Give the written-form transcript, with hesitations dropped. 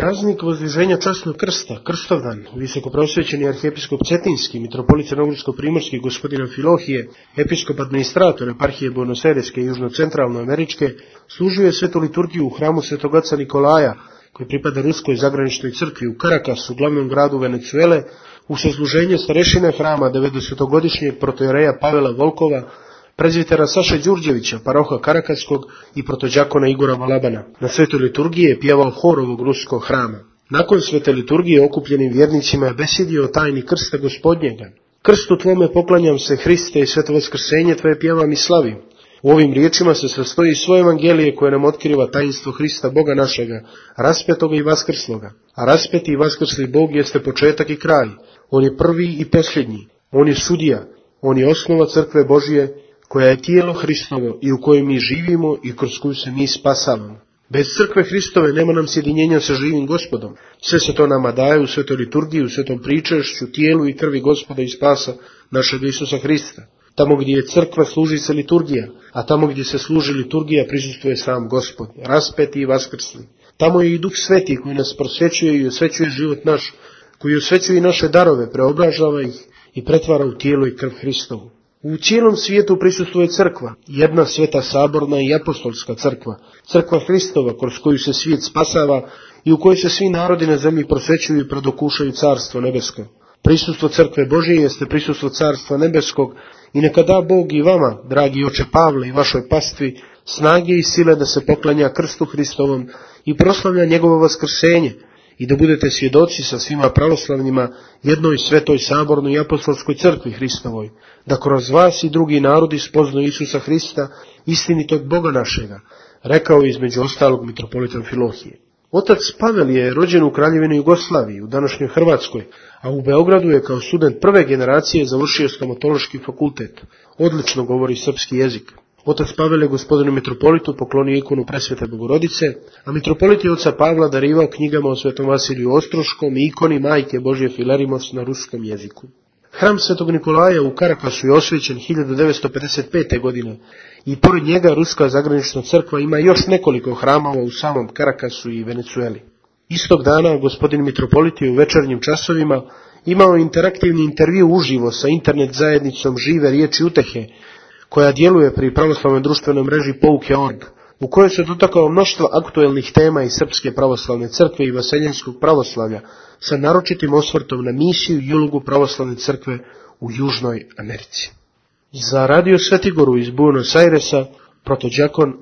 Praznik Vozdviženja časnog krsta, Krstovdan, visokoprosvećeni arhijepiskop Cetinski, mitropolit crnogorsko-primorski gospodina Filohije, episkop administrator eparhije Buenos Aireske i južno-centralnoameričke, služio je svetu liturgiju u hramu svetog oca Nikolaja, koji pripada Ruskoj zagraničnoj crkvi u Karakasu, glavnom gradu Venecuele, u sasluženje starešine hrama 90-godišnjeg protojereja Pavela Volkova, prezvitera Saše Đurđevića, paroha Karakaskog i protođakona Igora Valabana. Na svetoj liturgiji je pjevao hor ovog ruskog hrama. Nakon svete liturgije okupljenim vjernicima je besjedio o tajni krsta Gospodnjega. Krstu tvome poklanjam se, Hriste, i sveto vaskrsenje tvoje pjevam i slavim. U ovim riječima se sastoji svo evangelije koje nam otkriva tajinstvo Hrista Boga našega, raspetoga i vaskrsloga. A raspeti i vaskrsli Bog jeste početak i kraj. On je prvi i posljednji. On je sudija. On je osnova crkve Božije, koja je tijelo Hristovo i u kojoj mi živimo i kroz koju se mi spasavamo. Bez crkve Hristove nema nam sjedinjenja sa živim Gospodom. Sve se to nama daje u svetoj liturgiji, u svetom pričešću, tijelu i krvi Gospoda i spasa našeg Isusa Hrista. Tamo gdje je crkva služi se liturgija, a tamo gdje se služi liturgija prisustvuje sam Gospod, raspeti i vaskrsli. Tamo je i Duh Sveti koji nas prosvećuje i osvećuje život naš, koji osvećuje i naše darove, preobražava ih i pretvara u tijelo i krv Hristovu. U cijelom svijetu prisustvuje crkva, jedna sveta saborna i apostolska crkva, crkva Hristova kroz koju se svijet spasava i u kojoj se svi narodi na zemlji prosvećuju i predokušaju carstvo nebesko. Prisustvo crkve Božije jeste prisustvo carstva nebeskog i neka da Bog i vama, dragi oče Pavle, i vašoj pastvi, snage i sile da se poklanja krstu Hristovom i proslavlja njegovo vaskrsenje, i da budete svjedoci sa svima pravoslavnima jednoj svetoj sabornoj i apostolskoj crkvi Hristovoj, da kroz vas i drugi narodi spoznaju Isusa Hrista, istinitog Boga našega, rekao je između ostalog mitropolitom Filohije. Otac Pavel je rođen u Kraljevini Jugoslaviji, u današnjoj Hrvatskoj, a u Beogradu je kao student prve generacije završio stomatološki fakultet. Odlično govori srpski jezik. Otac Pavel je gospodinu mitropolitu poklonio ikonu Presvete Bogorodice, a mitropolit je oca Pavla darivao knjigama o svetom Vasiliju Ostroškom i ikoni Majke Božje Filerimos na ruskom jeziku. Hram svetog Nikolaja u Karakasu je osvećen 1955. godine i pored njega Ruska zagranična crkva ima još nekoliko hramova u samom Karakasu i Venecueli. Istog dana gospodin mitropolit je u večernjim časovima imao interaktivni intervju uživo sa internet zajednicom Žive riječi utehe, koja djeluje pri pravoslavnoj društvenoj mreži Pouke.org, u kojoj se dotakao mnoštva aktuelnih tema iz Srpske pravoslavne crkve i vaseljenskog pravoslavlja, sa naročitim osvrtom na misiju i ulogu pravoslavne crkve u Južnoj Americi. Za radio Svetigoru iz Buenos Airesa, protođakon